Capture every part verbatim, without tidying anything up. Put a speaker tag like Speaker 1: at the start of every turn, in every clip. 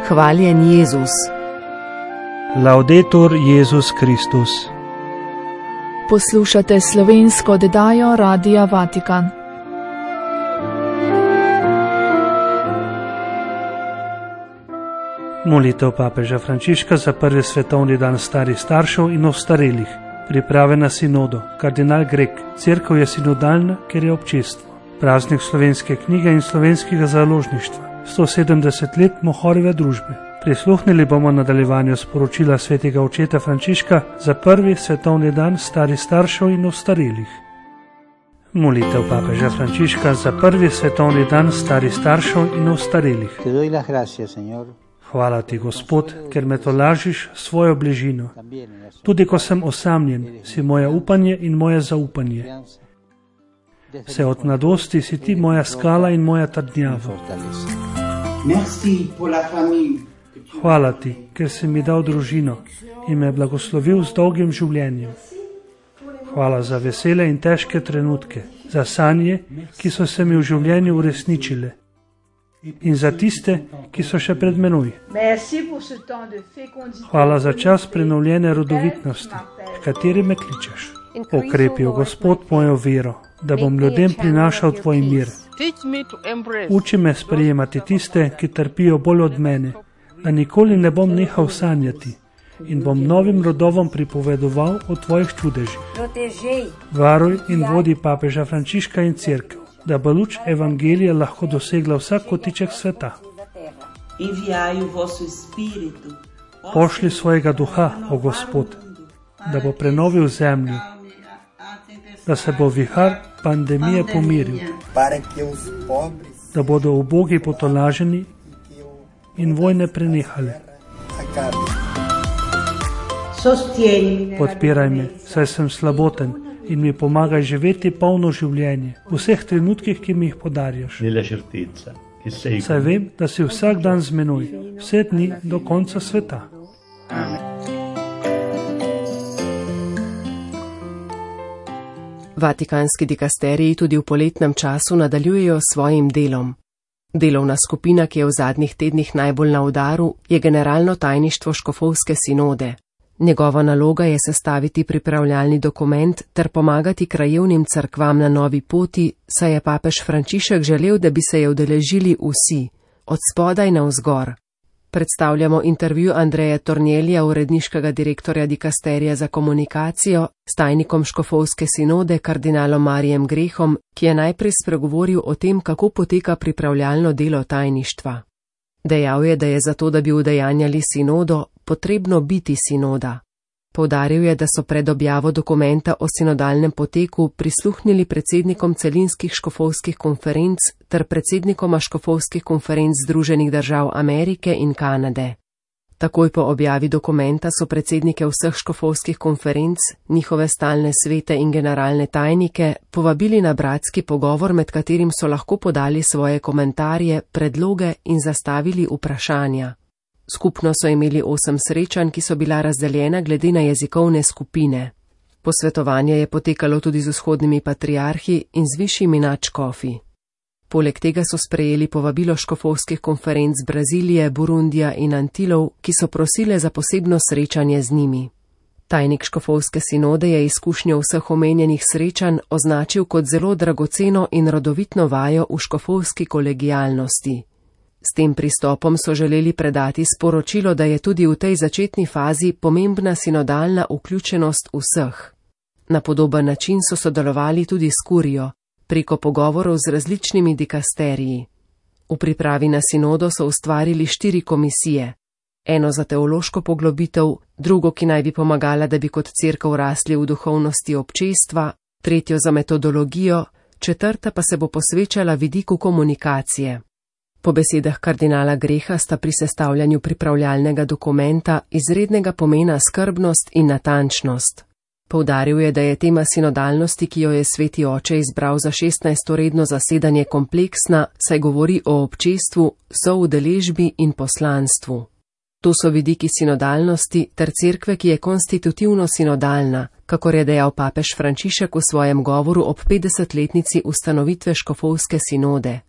Speaker 1: Hvaljen Jezus.
Speaker 2: Laudetur Jezus Kristus.
Speaker 3: Poslušate slovensko oddajo Radia Vatikan.
Speaker 2: Molitev papeža Frančiška za prvi svetovni dan starih staršev in ostarelih. Priprave na sinodo. Kardinal Grek. Cerkev je sinodalna, ker je občestvo. Praznik slovenske knjige in slovenskega založništva. sto sedemdeset let Mohorjeve družbe. Prisluhnili bomo nadaljevanju sporočila svetega očeta Frančiška za prvi svetovni dan starih staršev in ostarelih. Molitev papeža Frančiška za prvi svetovni dan starih staršev in ostarelih. Hvala ti, Gospod, ker me tolažiš svojo bližino. Tudi ko sem osamljen, si moje upanje in moje zaupanje. Vse od mladosti si ti moja skala in moja trdnjava. Hvala ti, ker si mi dal družino in me blagoslovil z dolgim življenjem. Hvala za vesele in težke trenutke, za sanje, ki so se mi v življenju uresničile, in za tiste, ki so še pred menoj. Hvala za čas prenovljene rodovitnosti, v kateri me kličeš. Okrepil, Gospod, mojo vero, da bom ljudem prinašal tvoj mir. Uči me sprejemati tiste, ki trpijo bolj od mene, da nikoli ne bom nehal sanjati in bom novim rodovom pripovedoval o tvojih čudežih. Varuj in vodi papeža Frančiška in cerkev, da bo luč evangelija lahko dosegla vsak kotiček sveta. Pošli svojega duha, o Gospod, da bo prenovil zemljo, da se bo vihar pandemije pomiril, da bodo ubogi potolaženi in vojne prenehale. Podpiraj me, saj sem slaboten, in mi pomagaj živeti polno življenje v vseh trenutkih, ki mi jih podarjaš. Saj vem, da si vsak dan z menoj, vse dni do konca sveta. Amen.
Speaker 1: Vatikanski dikasteriji tudi v poletnem času nadaljujejo s svojim delom. Delovna skupina, ki je v zadnjih tednih najbolj na udaru, je generalno tajništvo škofovske sinode. Njegova naloga je sestaviti pripravljalni dokument ter pomagati krajevnim cerkvam na novi poti, saj je papež Frančišek želel, da bi se je udeležili vsi, od spodaj navzgor. Predstavljamo intervju Andreja Tornjelija, uredniškega direktorja dikasterija za komunikacijo, s tajnikom škofovske sinode kardinalom Marijem Grehom, ki je najprej spregovoril o tem, kako poteka pripravljalno delo tajništva. Dejal je, da je zato, da bi udejanjali sinodo, potrebno biti sinoda. Poudaril je, da so pred objavo dokumenta o sinodalnem poteku prisluhnili predsednikom celinskih škofovskih konferenc ter predsednikoma škofovskih konferenc Združenih držav Amerike in Kanade. Takoj po objavi dokumenta so predsednike vseh škofovskih konferenc, njihove stalne svete in generalne tajnike povabili na bratski pogovor, med katerim so lahko podali svoje komentarje, predloge in zastavili vprašanja. Skupno so imeli osem srečanj, ki so bila razdeljena glede na jezikovne skupine. Posvetovanje je potekalo tudi z vzhodnimi patriarhi in z višjimi nadškofi. Poleg tega so sprejeli povabilo škofovskih konferenc Brazilije, Burundija in Antilov, ki so prosile za posebno srečanje z njimi. Tajnik škofovske sinode je izkušnjo vseh omenjenih srečanj označil kot zelo dragoceno in rodovitno vajo v škofovski kolegialnosti. S tem pristopom so želeli predati sporočilo, da je tudi v tej začetni fazi pomembna sinodalna vključenost vseh. Na podoben način so sodelovali tudi s kurijo, preko pogovorov z različnimi dikasteriji. V pripravi na sinodo so ustvarili štiri komisije. Eno za teološko poglobitev, drugo, ki naj bi pomagala, da bi kot cerkev rasli v duhovnosti občestva, tretjo za metodologijo, četrta pa se bo posvečala vidiku komunikacije. Po besedah kardinala Greha sta pri sestavljanju pripravljalnega dokumenta izrednega pomena skrbnost in natančnost. Poudaril je, da je tema sinodalnosti, ki jo je Sveti Oče izbral za šestnajsto redno zasedanje, kompleksna, saj govori o občestvu, soudeležbi in poslanstvu. To so vidiki sinodalnosti ter cerkve, ki je konstitutivno sinodalna, kakor je dejal papež Frančišek v svojem govoru ob petdesetletnici ustanovitve škofovske sinode.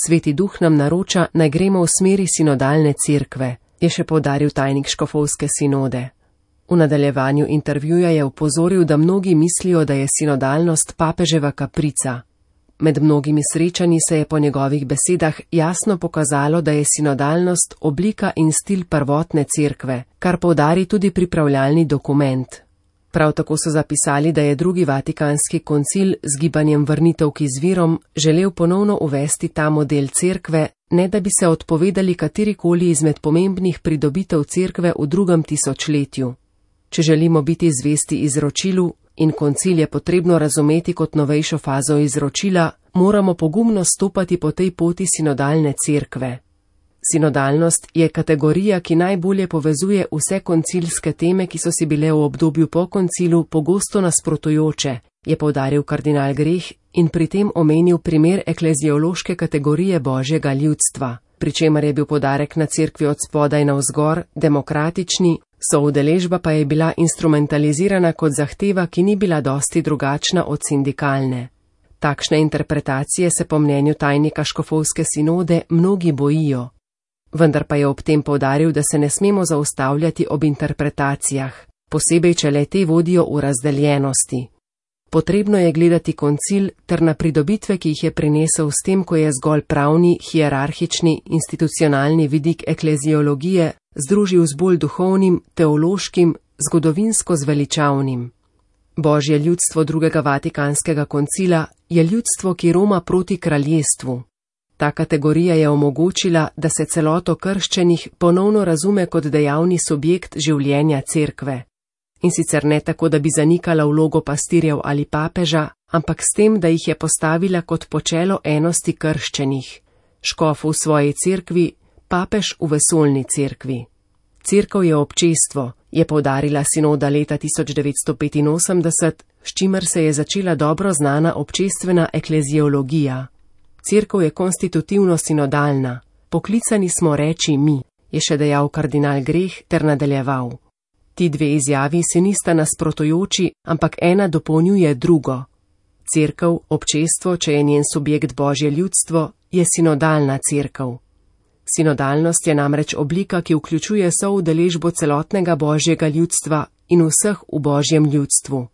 Speaker 1: Sveti duh nam naroča, naj gremo v smeri sinodalne cerkve. je še poudaril tajnik škofovske sinode. V nadaljevanju intervjuja je opozoril, da mnogi mislijo, da je sinodalnost papeževa kaprica. Med mnogimi srečanji se je po njegovih besedah jasno pokazalo, da je sinodalnost oblika in stil prvotne cerkve, kar poudari tudi pripravljalni dokument. Prav tako so zapisali, da je drugi vatikanski koncil z gibanjem vrnitev k izvirom želel ponovno uvesti ta model cerkve, ne da bi se odpovedali katerikoli izmed pomembnih pridobitev cerkve v drugem tisočletju. Če želimo biti zvesti izročilu in koncil je potrebno razumeti kot novejšo fazo izročila, moramo pogumno stopati po tej poti sinodalne cerkve. Sinodalnost je kategorija, ki najbolje povezuje vse koncilske teme, ki so si bile v obdobju po koncilu pogosto nasprotujoče, je poudaril kardinal Greh in pri tem omenil primer ekleziološke kategorije božjega ljudstva, pri čemer je bil poudarek na cerkvi od spodaj navzgor, demokratični, soudeležba pa je bila instrumentalizirana kot zahteva, ki ni bila dosti drugačna od sindikalne. Takšne interpretacije se po mnenju tajnika škofovske sinode mnogi bojijo. Vendar pa je ob tem poudaril, da se ne smemo zaustavljati ob interpretacijah, posebej če le te vodijo v razdeljenosti. Potrebno je gledati koncil ter na pridobitve, ki jih je prinesel s tem, ko je zgolj pravni, hierarhični, institucionalni vidik ekleziologije združil z bolj duhovnim, teološkim, zgodovinsko zveličavnim. Božje ljudstvo drugega vatikanskega koncila je ljudstvo, ki roma proti kraljestvu. Ta kategorija je omogočila, da se celoto krščenih ponovno razume kot dejavni subjekt življenja cerkve. In sicer ne tako, da bi zanikala vlogo pastirjev ali papeža, ampak s tem, da jih je postavila kot počelo enosti krščenih. Škof v svoji cerkvi, papež v vesoljni cerkvi. Cerkev je občestvo, je poudarila sinoda leta tisoč devetsto petinosemdeset, s čimer se je začela dobro znana občestvena ekleziologija. Cerkev je konstitutivno sinodalna, poklicani smo reči mi, je še dejal kardinal Greh ter nadaljeval. Ti dve izjavi se nista nasprotujoči, ampak ena dopolnjuje drugo. Cerkev, občestvo, če je njen subjekt božje ljudstvo, je sinodalna cerkev. Sinodalnost je namreč oblika, ki vključuje soudeležbo celotnega božjega ljudstva in vseh v božjem ljudstvu.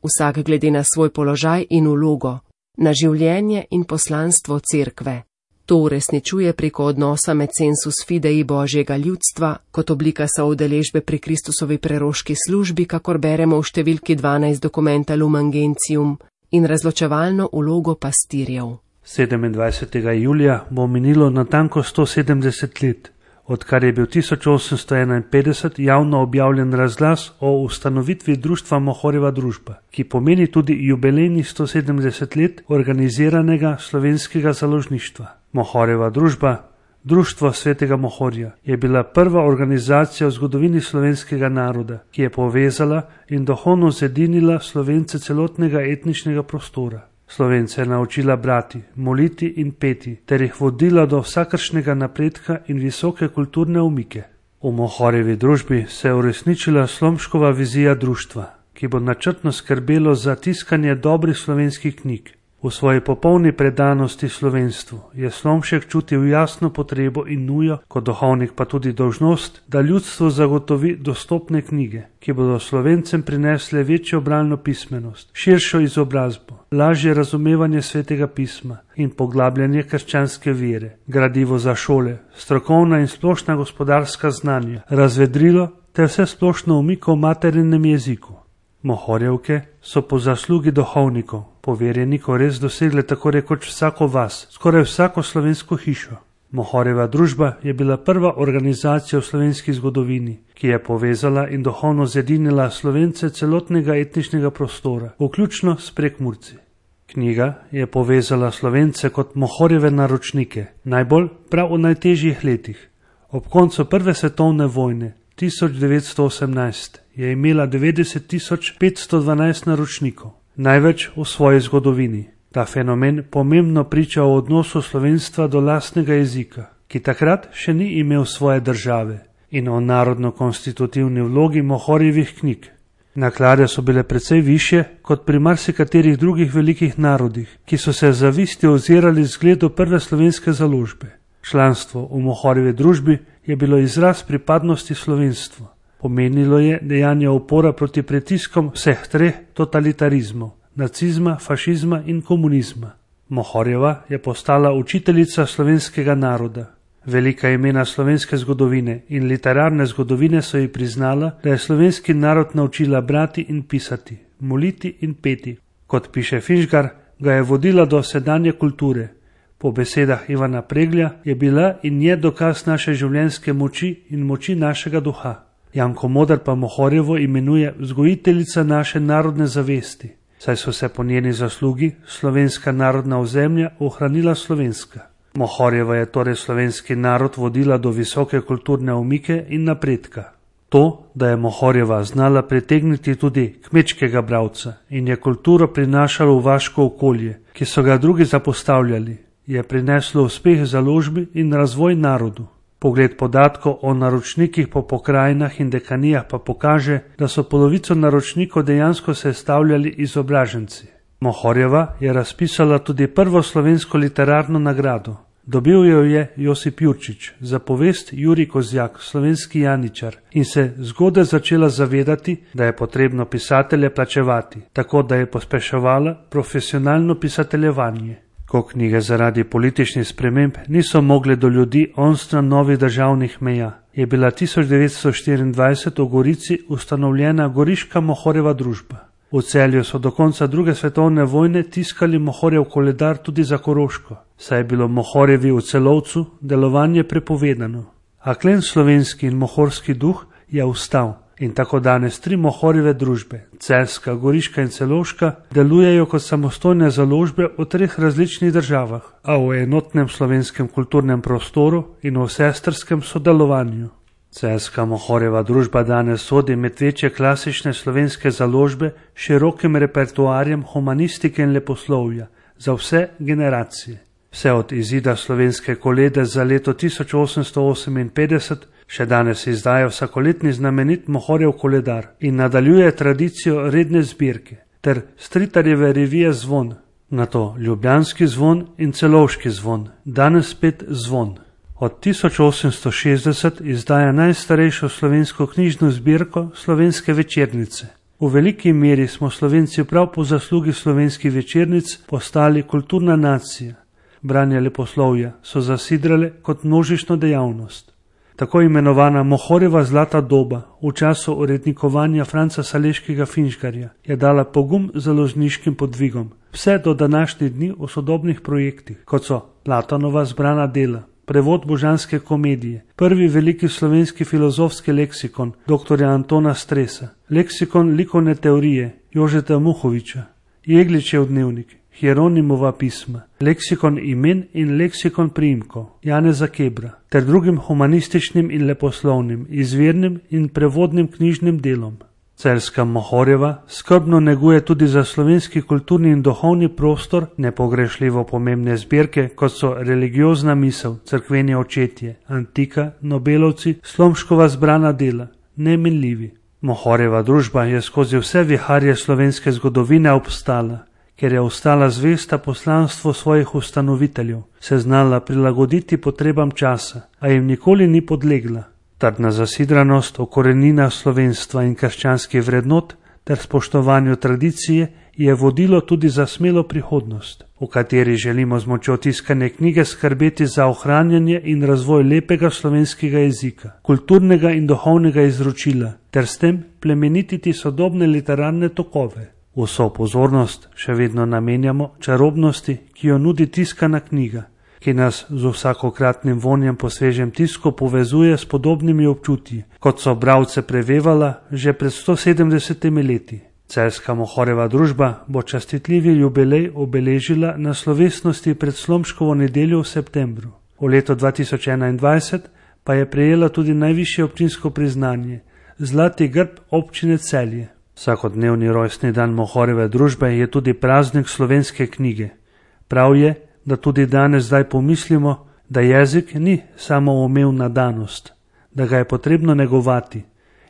Speaker 1: Vsak glede na svoj položaj in vlogo, na življenje in poslanstvo cerkve. To uresničuje preko odnosa med sensus fidei božjega ljudstva, kot oblika soudeležbe pri Kristusovi preroški službi, kakor beremo v številki dvanajst dokumenta Lumen Gentium, in razločevalno vlogo pastirjev.
Speaker 2: sedemindvajsetega julija bo minilo natanko sto sedemdeset let, odkar je bil tisoč osemsto enainpetdeset javno objavljen razglas o ustanovitvi društva Mohorjeva družba, ki pomeni tudi jubilejnih sto sedemdeset let organiziranega slovenskega založništva. Mohorjeva družba, Društvo svetega Mohorja, je bila prva organizacija v zgodovini slovenskega naroda, ki je povezala in duhovno zedinila Slovence celotnega etničnega prostora. Slovence je naučila brati, moliti in peti, ter jih vodila do vsakršnega napredka in visoke kulturne umike. V Mohorjevi družbi se je uresničila Slomškova vizija društva, ki bo načrtno skrbelo za tiskanje dobrih slovenskih knjig. V svoji popolni predanosti slovenstvu je Slomšek čutil jasno potrebo in nujo, kot duhovnik pa tudi dolžnost, da ljudstvu zagotovi dostopne knjige, ki bodo Slovencem prinesle večjo bralno pismenost, širšo izobrazbo, lažje razumevanje svetega pisma in poglabljanje krščanske vere, gradivo za šole, strokovna in splošna gospodarska znanja, razvedrilo ter vse splošno umiko v materinem jeziku. Mohorjevke so po zaslugi duhovnikov, poverjenikov res dosegle tako rekoč vsako vas, skoraj vsako slovensko hišo. Mohorjeva družba je bila prva organizacija v slovenski zgodovini, ki je povezala in duhovno zedinila Slovence celotnega etničnega prostora, vključno s Prekmurci. Knjiga je povezala Slovence kot Mohorjeve naročnike, najbolj prav v najtežjih letih. Ob koncu prve svetovne vojne tisoč devetsto osemnajst je imela devetdeset tisoč petsto dvanajst naročnikov, največ v svoji zgodovini. Ta fenomen pomembno priča o odnosu slovenstva do lastnega jezika, ki takrat še ni imel svoje države, in o narodno-konstitutivni vlogi Mohorjevih knjig. Naklade so bile precej višje kot pri marsikaterih drugih velikih narodih, ki so se zavisti ozirali zgledu prve slovenske založbe. Članstvo v Mohorjevi družbi je bilo izraz pripadnosti slovenstvu. Pomenilo je dejanje upora proti pritiskom vseh treh totalitarizmov, nacizma, fašizma in komunizma. Mohorjeva je postala učiteljica slovenskega naroda. Velika imena slovenske zgodovine in literarne zgodovine so ji priznala, da je slovenski narod naučila brati in pisati, moliti in peti. Kot piše Finžgar, ga je vodila do sedanje kulture. Po besedah Ivana Preglja je bila in je dokaz naše življenjske moči in moči našega duha. Janko Moder pa Mohorjevo imenuje vzgojiteljica naše narodne zavesti, saj so se po njeni zaslugi slovenska narodna ozemlja ohranila slovenska. Mohorjeva je torej slovenski narod vodila do visoke kulturne omike in napredka. To, da je Mohorjeva znala pritegniti tudi kmečkega bralca in je kulturo prinašala v vaško okolje, ki so ga drugi zapostavljali, je prineslo uspeh založbi in razvoj narodu. Pogled podatkov o naročnikih po pokrajinah in dekanijah pa pokaže, da so polovico naročnikov dejansko sestavljali izobraženci. Mohorjeva je razpisala tudi prvo slovensko literarno nagrado. Dobil jo je Josip Jurčič za povest Jurij Kozjak, slovenski janičar, in se zgodaj začela zavedati, da je potrebno pisatelje plačevati, tako da je pospeševala profesionalno pisateljevanje. Ko knjige zaradi političnih sprememb niso mogle do ljudi onstran novih državnih meja, je bila tisoč devetsto štiriindvajset v Gorici ustanovljena Goriška Mohorjeva družba. V Celju so do konca druge svetovne vojne tiskali Mohorjev koledar tudi za Koroško, saj je bilo Mohorjevi v Celovcu delovanje prepovedano. A klen slovenski in mohorski duh je ustal in tako danes tri Mohorjeve družbe, Celjska, Goriška in Celovška, delujejo kot samostojne založbe v treh različnih državah, a v enotnem slovenskem kulturnem prostoru in v sestrskem sodelovanju. Celjska Mohorjeva družba danes sodi med večje klasične slovenske založbe s širokim repertoarjem humanistike in leposlovja za vse generacije. Vse od izida slovenske kolede za leto tisoč osemsto oseminpetdeset še danes izdaja vsakoletni znamenit Mohorjev koledar in nadaljuje tradicijo redne zbirke ter Stritarjeve revije Zvon, nato Ljubljanski zvon in Celovški zvon, danes spet Zvon. Od tisoč osemsto šestdeset izdaja najstarejšo slovensko knjižno zbirko Slovenske večernice. V veliki meri smo Slovenci prav po zaslugi slovenskih večernic postali kulturna nacija. Branje leposlovja so zasidrale kot množično dejavnost. Tako imenovana Mohorjeva zlata doba v času urednikovanja Franca Saleškega Finžgarja je dala pogum založniškim podvigom, vse do današnjih dni v sodobnih projektih, kot so Platonova zbrana dela, prevod božanske komedije, prvi veliki slovenski filozofski leksikon dr. Antona Stresa, leksikon likovne teorije Jožeta Muhoviča, Jegličev dnevnik, Hieronimova pisma, leksikon imen in leksikon priimkov Janeza Kebra ter drugim humanističnim in leposlovnim, izvirnim in prevodnim knjižnim delom. Celjska Mohorjeva skrbno neguje tudi za slovenski kulturni in duhovni prostor nepogrešljivo pomembne zbirke, kot so Religiozna misel, Cerkveni očetje, Antika, Nobelovci, Slomškova zbrana dela, Neminljivi. Mohorjeva družba je skozi vse viharje slovenske zgodovine obstala, ker je ostala zvesta poslanstvu svojih ustanoviteljev, se znala prilagoditi potrebam časa, a jim nikoli ni podlegla. Trdna zasidranost o koreninah slovenstva in krščanskih vrednot ter spoštovanju tradicije je vodilo tudi za smelo prihodnost, v kateri želimo z močjo tiskane knjige skrbeti za ohranjanje in razvoj lepega slovenskega jezika, kulturnega in duhovnega izročila ter s tem plemenititi sodobne literarne tokove. Vso pozornost še vedno namenjamo čarobnosti, ki jo nudi tiskana knjiga, ki nas z vsakokratnim vonjem po svežem tisku povezuje s podobnimi občutji, kot so bralce prevevala že pred sto sedemdesetimi leti. Celjska Mohorjeva družba bo častitljivi jubilej obeležila na slovesnosti pred Slomškovo nedeljo v septembru. V letu dva tisoč enaindvajset pa je prejela tudi najvišje občinsko priznanje, Zlati grb občine Celje. Vsakodnevni rojstni dan Mohorjeve družbe je tudi praznik slovenske knjige. Prav je, da tudi danes zdaj pomislimo, da jezik ni samoumevna danost, da ga je potrebno negovati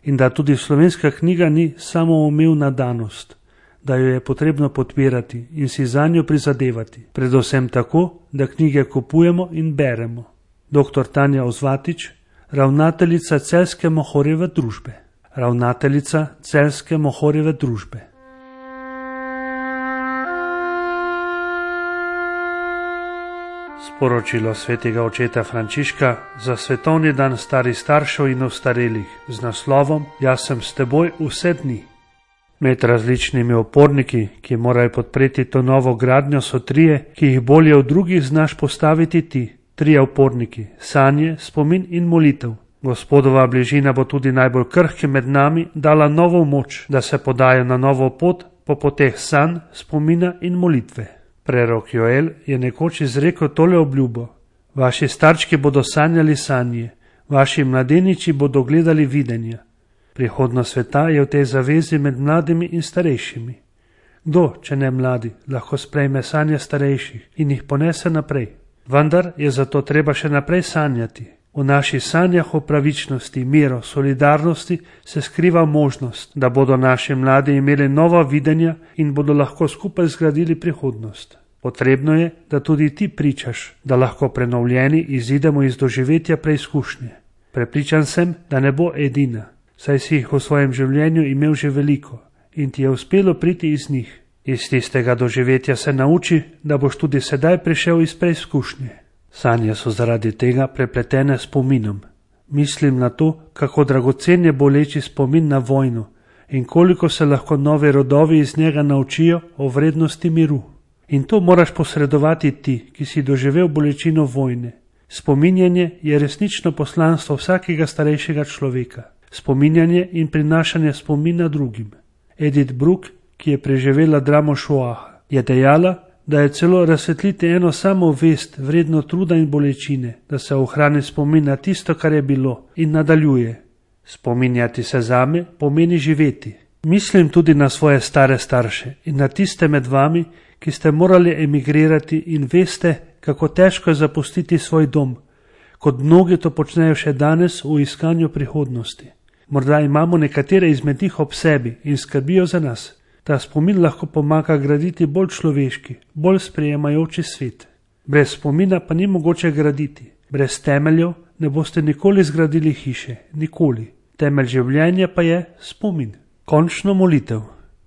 Speaker 2: in da tudi slovenska knjiga ni samoumevna danost, da jo je potrebno podpirati in si zanjo prizadevati, predvsem tako, da knjige kupujemo in beremo. Doktor Tanja Ozvatič, ravnateljica Celjske Mohorjeve družbe. Ravnateljica Celjske Mohorjeve družbe. Sporočilo svetega očeta Frančiška za svetovni dan starih staršev in ostarelih z naslovom Jaz sem s teboj vse dni. Med različnimi oporniki, ki morajo podpreti to novo gradnjo, so trije, ki jih bolje od drugih znaš postaviti ti. Trije oporniki, sanje, spomin in molitev. Gospodova bližina bo tudi najbolj krhki med nami dala novo moč, da se podajo na novo pot po poteh sanj, spomina in molitve. Prerok Joel je nekoč izrekel tole obljubo: vaši starčki bodo sanjali sanje, vaši mladeniči bodo gledali videnja. Prihodnost sveta je v tej zavezi med mladimi in starejšimi. Kdo, če ne mladi, lahko sprejme sanje starejših in jih ponese naprej? Vendar je zato treba še naprej sanjati. V naših sanjah o pravičnosti, miru, solidarnosti se skriva možnost, da bodo naši mladi imeli nova videnja in bodo lahko skupaj zgradili prihodnost. Potrebno je, da tudi ti pričaš, da lahko prenovljeni izidemo iz doživetja preizkušnje. Prepričan sem, da ne bo edina, saj si jih v svojem življenju imel že veliko in ti je uspelo priti iz njih. Iz tistega doživetja se nauči, da boš tudi sedaj prišel iz preizkušnje. Sanje so zaradi tega prepletene s spominom. Mislim na to, kako dragocen je boleči spomin na vojno in koliko se lahko novi rodovi iz njega naučijo o vrednosti miru. In to moraš posredovati ti, ki si doživel bolečino vojne. Spominjanje je resnično poslanstvo vsakega starejšega človeka. Spominjanje in prinašanje spomina drugim. Edith Bruck, ki je preživela dramo Šoaha, je dejala, da je celo razsvetliti eno samo vest vredno truda in bolečine, da se ohrani spomin na tisto, kar je bilo, in nadaljuje. Spominjati se zame pomeni živeti. Mislim tudi na svoje stare starše in na tiste med vami, ki ste morali emigrirati in veste, kako težko je zapustiti svoj dom, kot mnogi to počnejo še danes v iskanju prihodnosti. Morda imamo nekatere izmed njih ob sebi in skrbijo za nas. Ta spomin lahko pomaga graditi bolj človeški, bolj sprejemajoči svet. Brez spomina pa ni mogoče graditi. Brez temeljev ne boste nikoli zgradili hiše, nikoli. Temelj življenja pa je spomin. Končno molitev.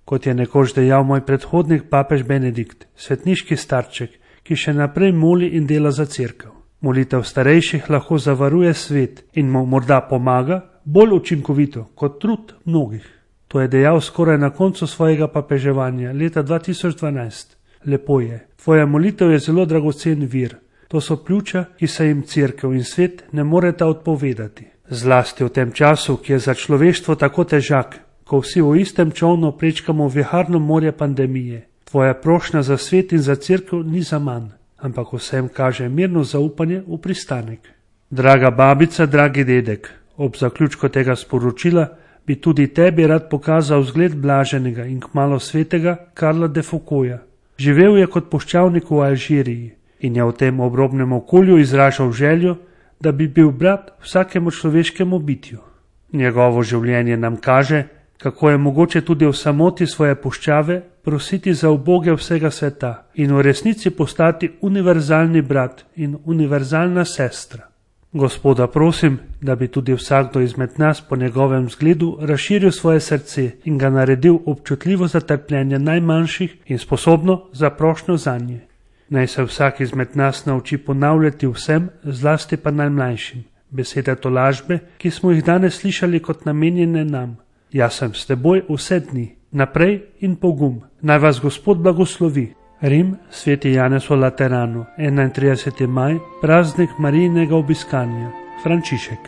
Speaker 2: Kot je nekoč dejal moj predhodnik papež Benedikt, svetniški starček, ki še naprej moli in dela za cerkev. Molitev starejših lahko zavaruje svet in mu morda pomaga bolj učinkovito kot trud mnogih. To je dejal skoraj na koncu svojega papeževanja leta dva tisoč dvanajst. Lepo je. Tvoja molitev je zelo dragocen vir. To so pljuča, ki se jim cerkev in svet ne moreta odpovedati. Zlasti v tem času, ki je za človeštvo tako težak, ko vsi v istem čolnu prečkamo viharno morje pandemije. Tvoja prošnja za svet in za cerkev ni za manj, ampak vsem kaže mirno zaupanje v pristanek. Draga babica, dragi dedek, ob zaključku tega sporočila bi tudi tebi rad pokazal zgled blaženega in kmalo svetega Karla de Foucaulta. Živel je kot puščavnik v Alžiriji in je v tem obrobnem okolju izražal željo, da bi bil brat vsakemu človeškemu bitju. Njegovo življenje nam kaže, kako je mogoče tudi v samoti svoje puščave prositi za uboge vsega sveta in v resnici postati univerzalni brat in univerzalna sestra. Gospoda prosim, da bi tudi vsakdo izmed nas po njegovem zgledu razširil svoje srce in ga naredil občutljivo za trpljenje najmanjših in sposobno za prošnjo zanje. Naj se vsak izmed nas nauči ponavljati vsem, zlasti pa najmlajšim, besede tolažbe, ki smo jih danes slišali kot namenjene nam. Jaz sem s teboj vse dni, naprej in pogum. Naj vas Gospod blagoslovi. Rim, sveti Janez v Lateranu, enaintrideseti maj, praznik Marijinega obiskanja, Frančišek.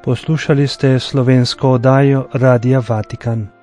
Speaker 4: Poslušali ste slovensko oddajo Radia Vatikan.